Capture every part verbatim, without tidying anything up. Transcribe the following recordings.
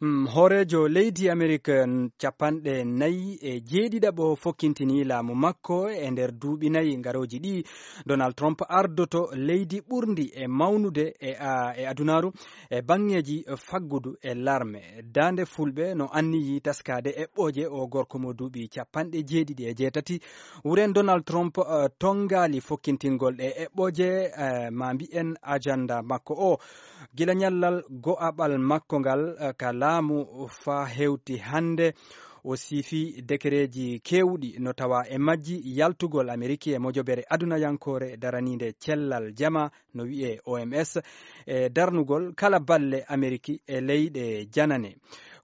Mm, hooreejo leydi Amerik, n-, capanɗe nayi e jeeɗiɗaɓo fokkintini laamu makko e nder duuɓi nayi garooji ɗi. Donald Trump ardoto leydi ɓurndi e mawnude e, a, e adunaaru e baŋŋeeji faggudu e larme. Daande Fulɓe no anniyi taskaade eɓɓooje o gorko mo duuɓi capanɗe jeeɗiɗi e jeetati. Wuren Donald Trump, eh, tonngaali fokkintingol ɗe eɓɓooje, eh, ma mbi'en ajanda makko o. Gila ñallal go'aɓal makko ngal, eh, ka laamu faa hewti hannde, o siifi dekereeji keewɗi no tawa e majji yaltugol Ameriki e mojobere adunayankoore daraniinde cellal jama, no wi'ee O M S, e darnugol kala balle Ameriki e leyɗe janane.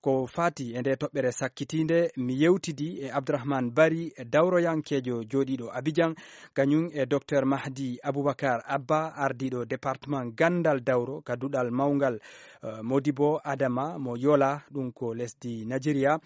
Ko faati e nde toɓɓere sakkitiinde, mi yewtidi e Abdourahmane Bari, dawroyankeejo jooɗiiɗo Abidjan, kañum e Docteur Mahdi Aboubacar Abba, ardiiɗo département ganndal dawro ka duɗal mawngal, eh, Modibo Adama mo Yola, ɗum ko lesdi Nigeria.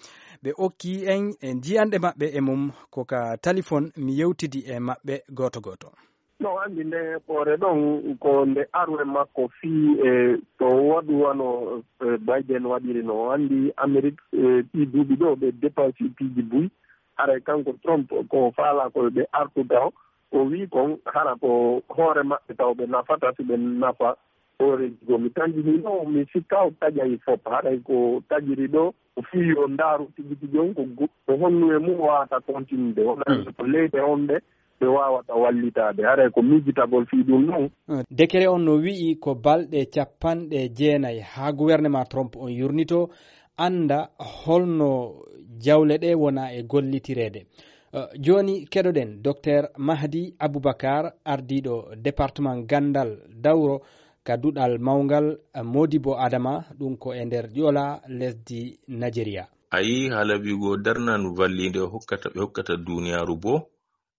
Ɓe okki en e njiyanɗe maɓɓe e mum ko ka talifon, mi yewtidi e maɓɓe gooto gooto. No anndi nde hoore ɗon ko nde arwe makko fii e to waɗu wano, eh, Biden waɗiri no. O anndi Amerik, eh, ɗii duuɓi ɗo ɓe dépense piiji buy. Haray kanko Trump ko faala ko ɓe artu taw. O wii kon hara ko hoore maɓɓe taw ɓe nafata si ɓe nafa hooreeji goo. Mi tanjinii no mi sikka o taƴay fop. Haray ko taƴiri ɗo o fii yo ndaaru tigi tigi on ko go-, ko honnu e mum o waawata continude. Wona ko leyɗe on ɗe ɓe waawata wallitaade. Haray ko miijitagol fii ɗum ɗon. Dekere on no wi'i ko balɗe capanɗe jeenay haa gouvernement Trump on yurnito, annda holno jawle ɗe wona e gollitireede. Eh, jooni keɗoɗen Docteur Mahdi Aboubacar, ardiiɗo département ganndal dawro ka duɗal mawngal, eh, Modibo Adama, ɗum ko e nder Ƴoola lesdi Nigeria. A yii haala wi'ugo darnan valliinde o hokkata, ɓe hokkata duuniyaaru boo.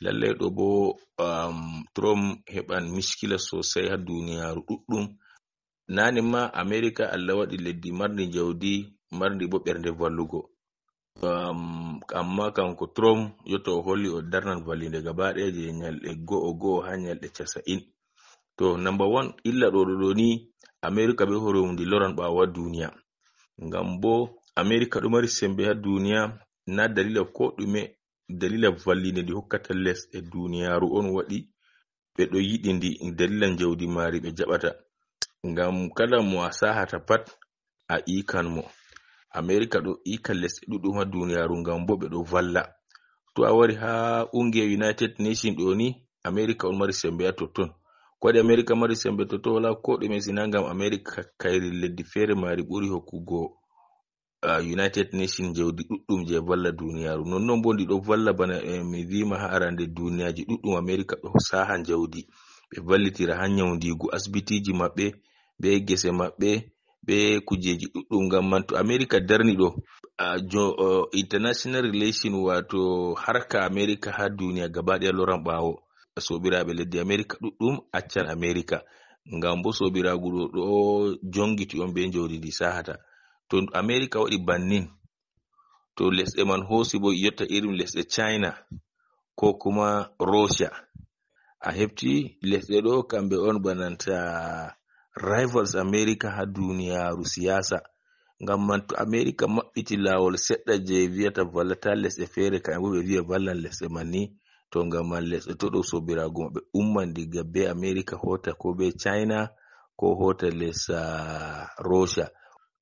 Lallay ɗo boo, um, Trump heɓan miskila sosay haa duuniyaaru ɗuɗɗum. Naane ma Amerika Allah waɗi leddi marndi jawdi, marndi boo ɓernde vallugo. Um, amma kanko Trump yotto o holli o darnan valliinde gaba ɗaya je ñalɗe go'o go'o haa ñalɗe casa'in. To, number one, illa ɗo ɗo ɗo ni, Amerika bee hoore mum ndi loran ɓaawo haa duuniya. Ngam boo Amerika ɗo mari sembe haa duuniya, na dalila ko ɗume, dalila valliinde ndi hokkata lesɗe duuniyaaru on waɗi ɓe ɗo yiɗi ndi, dalila njawdi maari ɓe jaɓata. Ngam kala mo a sahata pat, a iikan mo. Amerika ɗo iika lesɗe ɗuɗɗum haa duuniyaaru ngam boo ɓe ɗo valla. To a wari haa ungiya United Nation ɗo ni, Amerika on mari sembe haa totton. Ko waɗi Amerika mari sembe totton? Walaa ko ɗume, sina ngam Amerika kayri leddi feere maari ɓuri hokkugo ah, United Nation jawdi ɗuɗɗum je valla duniyaaru. Nonnon bo ndi ɗo valla bana, eh, mi viima haa arande duniyaaji ɗuɗɗum Amerika ɗo saha jawdi. Ɓe vallitira haa nyawndiigu asbitiiji maɓɓe, be gese maɓɓe, be kujeeji ɗuɗɗum. Ngam man to Amerika darni ɗo, ah, jo-, oh, international relation, waato harka Amerika haa duniya gaba ɗaya loran ɓaawo. Soobiraaɓe leddi Amerika ɗuɗɗum accan Amerika. Ngam bo soobiraagu ɗo, ɗo jongiti on be jawdi ndi sahata. To Amerika waɗi bannin, to lesɗe man hoosi bo yotta irin lesɗe China ko kuma Russia, a hefti lesɗe ɗo kamɓe on bananta rivals Amerika haa duniyaaru siyaasa. Ngam man to Amerika maɓɓiti laawol seɗɗa je vi'ata vallata lesɗe feere, kamɓe bo ɓe vi'a vallan lesɗe man ni. To ngam man lesɗe to ɗo soobiraagu maɓɓe umman diga be Amerika hoota ko be China ko hoota les, ah, Russia.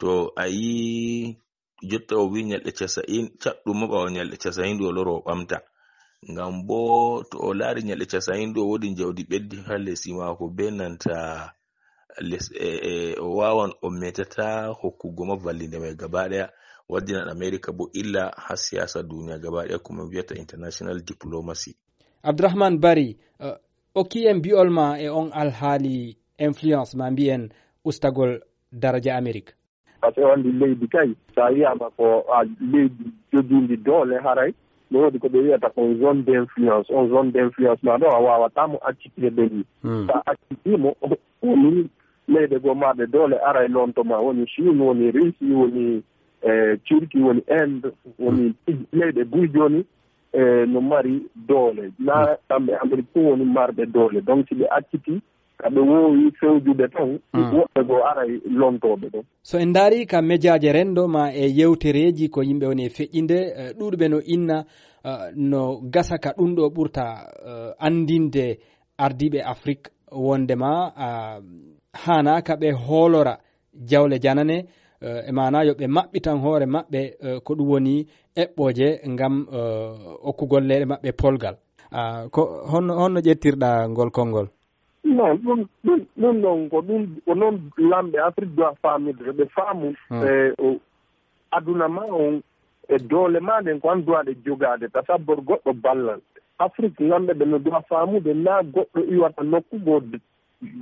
To a yi jotta o wi nyalɗe casa'in, caɗɗum mo ɓaawo nyalɗe casa'in ɗo o loro o ɓamta. Ngam bo to o laari nyalɗe casa'in ɗo woodi jawdi ɓeddi haa lesi maako be nanta les, e, e, o wawan o metata hokkugo ma vallinde mai gaba ɗaya, waddinan Amerika bo illa haa siyasa duniya gaba ɗaya, ko min vi'ata international diplomacy. Abdourahmane Bari, eh, okki en bi'ol ma e on alhaali influence ma mbi'en ustagol daraja Amerik. Parce que o anndi leydi kay, so a wiyaama ko a leydi jogiindi doole, haray no woodi ko ɓe wiyata kon zone d'influence. On zone d'influence ma ɗo, a waawataa mo accitde ni. Hmm. So a accitii mo, woni leyɗe goo marɗe doole aray lonto ma. Woni Chine, woni Russie, woni, eh, Turquie, woni Inde, woni leyɗe buy jooni, eh, no mari doole. Na kamɓe Amérique fof woni marɓe doole. Donc, si ɓe accitii, Ka ɓe woowi fewjude tan, woɓɓe goo aray lontooɓe ɗon. So en ndaarii ka mejaaje renndo maa e yewtereeji ko yimɓe woni e feƴƴinde, eh, ɗuuɗuɓe no inna, eh, no gasa ka ɗum ɗo ɓurta, eh, anndinde ardiiɓe Afrik wonde maa, ah, haanaaka ɓe hoolora jawle janane, eh, e maanaa yo ɓe maɓɓitan hoore maɓɓe, eh, ko ɗum woni eɓɓooje ngam, eh, okkugol leyɗe maɓɓe polgal. Ah, ko honno, honno ƴettirɗaa ngol konngol? Non, ɗum, ɗum, ɗum ɗon ko ɗum, ko noon lamɓe Afrik doit faamude, ɓe faamu, hmm, e o aduna ma on, e doole ma ɗen, ko an doit ɗe jogaade, tasabbor goɗɗo ballal. Afrik lamɓe ɓe no doit faamude, naa goɗɗo iwata nokku goo d-,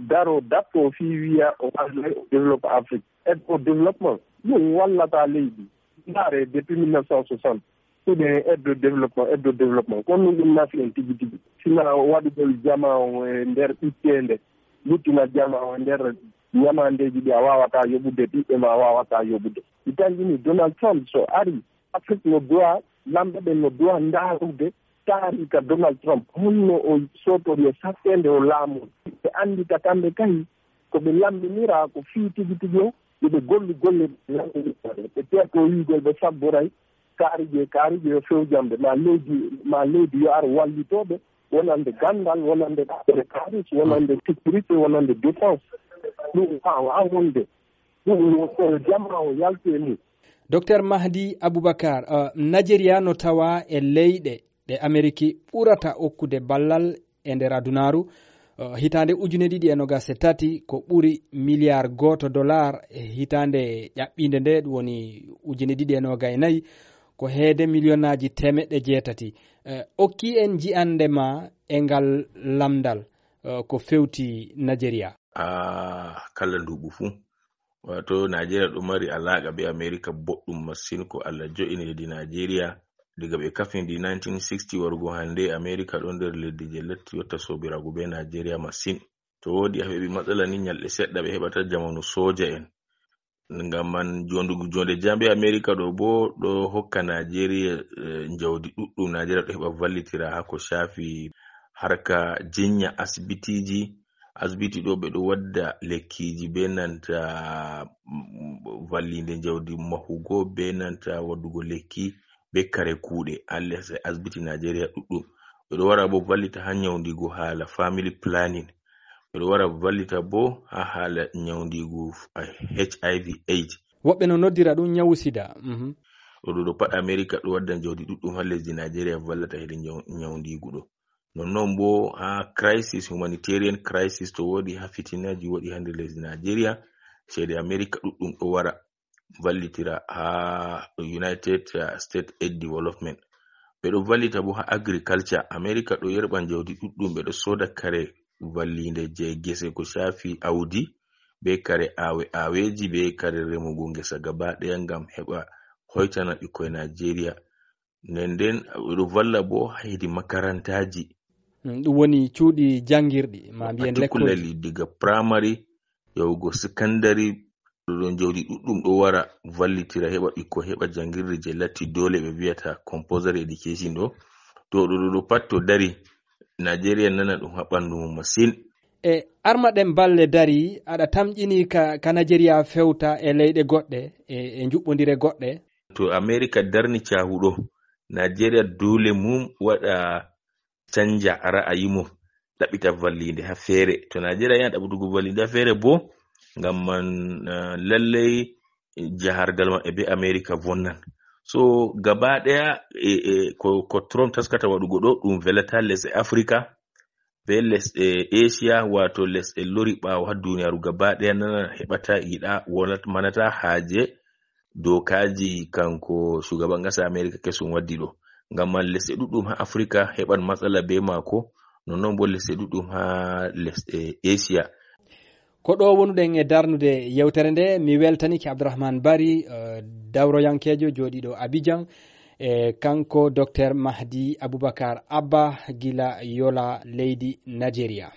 daro datto fii wiya o walla o développe Afrik. Aide au développement, ɗum wallata leydi. Ndaare, depuis mille neuf cent soixante, ɗum en aide au développement, aide au développement. Kono ɗum ɗum nafi en tigi tigi. Sina waɗugol jama on e nder ɓitteende, luttina jama on e nder ñamandeeji ɗi a waawata yoɓude, ɓiɓɓe ma a waawata yoɓude. Mi tanjini Donald Trump so ari, Afrik no doit, lamɓe ɓen no doit ndaarude taariika Donald Trump. Honno o sootori e satteende o laamu. Ɓe anndita kamɓe kay ko ɓe lamminira ko fii tigi tigi o, yo ɓe gollu golle ɗe lamminira. Ɓe teeto wiigol ɓe sabboray kaarije, kaarije yo fewjamɓe, ma leydi, ma leydi yo ar wallitooɓe, wonande ganndal, wonande affaire kaalis, wonande sécurité, wonande défense. Ɗum waawa wonde. Ɗum ko jama o yalti e mum. Docteur Mahdi Aboubacar, uh, Nigeria no tawa e leyɗe ɗe Ameriki ɓurata okkude ballal e nder adunaaru. Uh, hitaande ujune ɗiɗi e nogas e tati ko ɓuri miliyar gooto dollar, e hitaande ƴaɓɓiinde nde, ɗum woni ujune ɗiɗi e nogas e nayi, ko heede miliyonaaji teemeɗɗe jeetati. Uh, okki en ji'ande ma e ngal lamndal, uh, ko fewti Nigeria. Ah, kala nduuɓu fuu. Wato, Najeriya ɗo mari alaaqa be Amerika boɗɗum masin. Ko Allah jo'ini leydi Najeriya. Diga ɓe kafindi nineteen sixty warugo hannde, Amerika ɗo nder leddi je latti yotta soobiraagu be Najeriya masin. To woodi a heɓi matsala ni, nyalɗe seɗɗa ɓe heɓata jamanu sooja en. Ngam man, jondugu jonde jam be Amerika ɗo bo ɗo hokka Najeriya, eh, njawdi ɗuɗɗum. Najeriya ɗo heɓa vallitira haa ko shaafi harka jinya asibitiji. Asibiti ɗo ɓe ɗo wadda lekkiji be nanta, mm, vallinde njawdi mahugo be nanta waddugo lekki be kare kuuɗe. Haa les asibiti Najeriya ɗuɗɗum. Ɓe ɗo wara bo vallita haa nyawndigu haala family planning. Ɓe ɗo wara vallita bo haa haala nyawndigu f-, a, H I V AIDS. Woɓɓe no noddira ɗum nyawu sida. Mhm. Ɗo, ɗo, ɗo pat Amerika ɗo wadda njawdi ɗuɗɗum haa lesdi Najeriya vallata hedi nyaw-, nyawndigu ɗo. Nonnon bo haa crisis, humanitarian crisis to woodi, haa fitinaaji woodi haa nder lesdi Najeriya, ceede Amerika ɗuɗɗum ɗo wara vallitira haa United, uh, States Aid Development. Ɓe ɗo vallita bo haa agriculture. Amerika ɗo yerɓa njawdi ɗuɗɗum, ɓe ɗo sooda kare vallinde je gese ko shaafi awdi, be kare awe-, aweji, be kare remugo ngesa gaba ɗaya ngam heɓa hoytana ɓikkoy Najeriya. Nden nden, ɓe ɗo valla bo haa hedi makarantaji. Mm, ɗum woni cuuɗi janngirɗi, ma mbiyen lekkolji. Particularly diga primary yahugo secondary, ɗo ɗon jawdi ɗuɗɗum ɗo wara vallitira heɓa ɓikkoy heɓa janngirde je latti doole ɓe viyata compulsory education ɗo. To ɗo, ɗo, ɗo pat to dari, Najeriya nana ɗum haa ɓandu mum masin. E arma ɗen balle dari, aɗa tamƴini ka, ka Najeriya fewta e leyɗe goɗɗe, e, e njuɓɓondire goɗɗe? To Amerika darni caahu ɗo, Najeriya doole mum waɗa canja ra'ayi mum, ɗaɓɓita vallinde haa feere. To Najeriya yiɗi ɗaɓɓutugo vallinde haa feere bo, ngam man, eh, lallay jahargal maɓɓe be Amerika vonnan. So gaba ɗaya, e, e, ko, ko Trump taskata waɗugo ɗo, ɗum velata lesɗe Afrika, be lesɗe Asia, wato lesɗe lori ɓaawo haa duniyaaru gaba ɗaya nana heɓata, yiɗa, wonat-, manata haaje dokaji kanko shugaban ƙasa Amerika kesum waddi ɗo. Ngam man lesɗe ɗuɗɗum haa Afrika heɓan matsala be maako, nonnon bo lesɗe ɗuɗɗum haa lesɗe Asia. Ko ɗo wonuɗen e darnude yewtere nde, mi weltanike Abdourahmane Bari, eh, dawroyankeejo jooɗiiɗo Abidjan, e kanko Docteur Mahdi Aboubacar Abba gila Yola leydi Nigeria.